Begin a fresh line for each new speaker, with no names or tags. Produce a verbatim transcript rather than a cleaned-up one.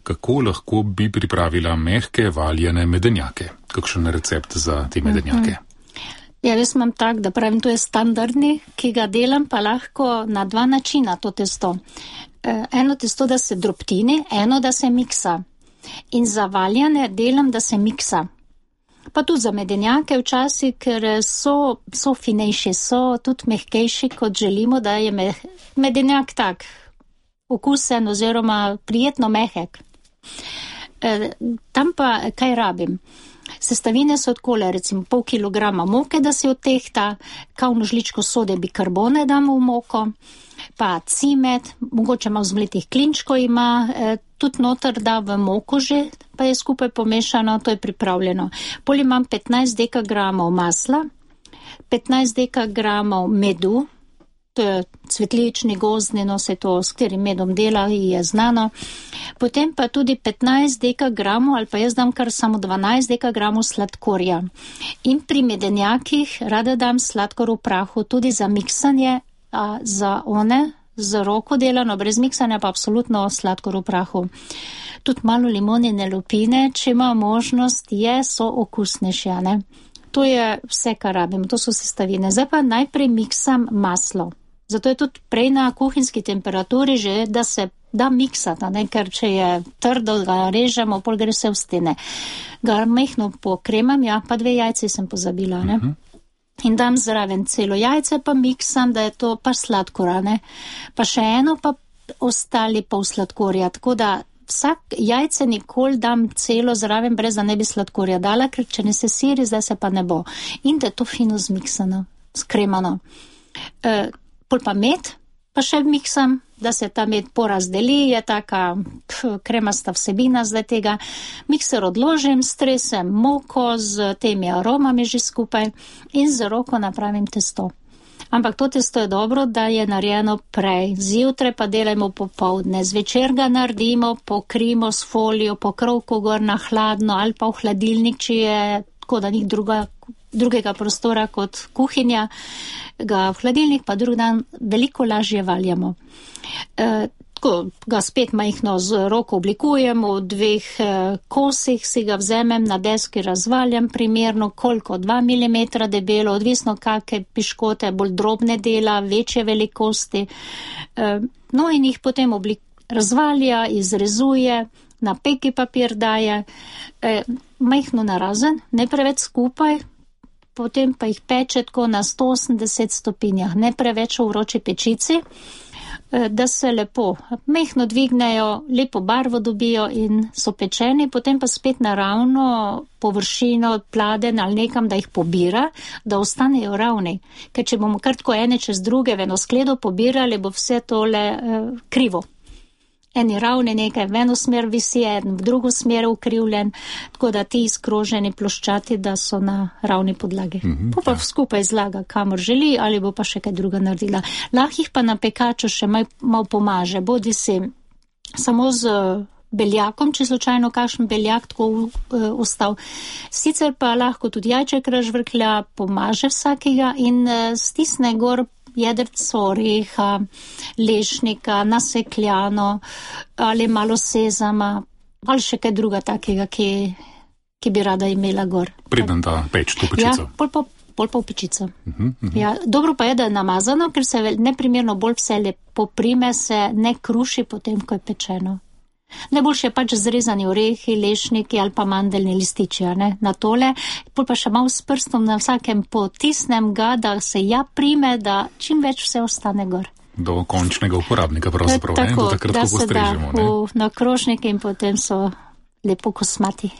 kako lahko bi pripravila mehke valjene medenjake. Kakšen recept za te medenjake?
Ja, jaz imam tak, da pravim, to je standardni, ki ga delam pa lahko na dva načina to testo. Eno testo, da se drobtini, eno, da se miksa. In za valjane delam, da se miksa. Pa tudi za medenjake včasih, ker so, so finejši, so tudi mehkejši, kot želimo, da je meh, medenjak tak okusen oziroma prijetno mehek. E, tam pa kaj rabim? Sestavine so odkole, recimo pol kilograma moke, da se odtehta, kavno žličko sode bikarbone damo v moko, pa cimet, mogoče malo zmletih klinčkov ima, e, tudi noter da v moko že, pa je skupaj pomešano, to je pripravljeno. Pol imam petnajst dekagramov masla, petnajst dekagramov medu, to je cvetlični, gozdni, no se to, s katerim medom dela, je znano. Potem pa tudi petnajst dekagramov, ali pa jaz dam kar samo dvanajst dekagramov sladkorja. In pri medenjakih rada dam sladkor v prahu, tudi za miksanje, a za one, z roko delano, brez miksanja pa absolutno sladkor v prahu. Tudi malo limonine lupine, če ima možnost, je, so okusnejše, ne? To je vse, kar rabim, to so sestavine. Zdaj pa najprej miksam maslo. Zato je tudi prej na kuhinjski temperaturi že, da se da miksati, ne? Ker če je trdo, ga režemo, pol gre se v stene. Ga mehno pokremam, ja, pa dve jajce sem pozabila, ne? Uh-huh. In dam zraven celo jajce, pa miksam, da je to pa sladkora, ne? Pa še eno, pa ostali pol sladkorja, tako da vsak jajce nikoli dam celo zraven, brez da ne bi sladkorja dala, ker če ne se siri, zdaj se pa ne bo. In da je to fino zmiksano, skremano. E, pol pa med, pa še miksam, da se ta med porazdeli, je taka pf, kremasta vsebina zdaj tega. Mikser odložim, stresem moko z temi aromami že skupaj in z roko napravim testo. Ampak to testo je dobro, da je narejeno prej. Zjutraj pa delajmo popoldne. Zvečer ga naredimo, pokrijemo s folijo, pokrovko gor na hladno ali pa v hladilnik, če je tako, da ni druga, drugega prostora kot kuhinja, ga v hladilnik, pa drug dan veliko lažje valjamo. E, tako, ga spet majhno z roko oblikujemo, v dveh e, kosih si ga vzemem, na deski razvaljam primerno, koliko, dva milimetra debelo, odvisno kakve piškote, bolj drobne dela, večje velikosti. E, no in jih potem oblik, razvalja, izrezuje, na peki papir daje, e, majhno narazen, ne preveč skupaj, potem pa jih peče tako na sto osemdeset stopinjah, ne preveč v vroči pečici, da se lepo mehno dvignejo, lepo barvo dobijo in so pečeni, potem pa spet na ravno površino pladen ali nekam, da jih pobira, da ostanejo ravni. Ker če bomo kar tako ene čez druge v eno skledo pobirali, bo vse tole eh, krivo. Eni ravni nekaj v eno smer visi, en v drugo smer ukrivljen, tako da ti izkroženi ploščati, da so na ravni podlagi. Mm-hmm, pa pa ja. Skupaj zlaga, kamor želi, ali bo pa še kaj druga naredila. Lahko jih pa na pekaču še mal, mal pomaže, bodi si samo z beljakom, če slučajno kakšen beljak tako uh, ostal. Sicer pa lahko tudi jajček razžvrklja, pomaže vsakega in uh, stisne gor jedrco oreha, lešnika, nasekljano ali malo sezama ali še kaj druga takega, ki, ki bi rada imela gor.
Preden da peč to pečico.
Ja, pol pa, pol pa v pečico. Uh-huh, uh-huh. Ja, dobro pa je, da je namazano, ker se neprimerno bolj vse lepo prime, se ne kruši potem, ko je pečeno. Najboljše je pač zrezani orehi, lešniki ali pa mandeljni lističi, ne, na tole, pol pa še malo s prstom na vsakem potisnem ga, da se ja prime, da čim več vse ostane gor.
Do končnega uporabnika pravzaprav, ne, do takrat, ko postrežemo, ne.
Tako, da se da v, na krožnike in potem so lepo kosmati.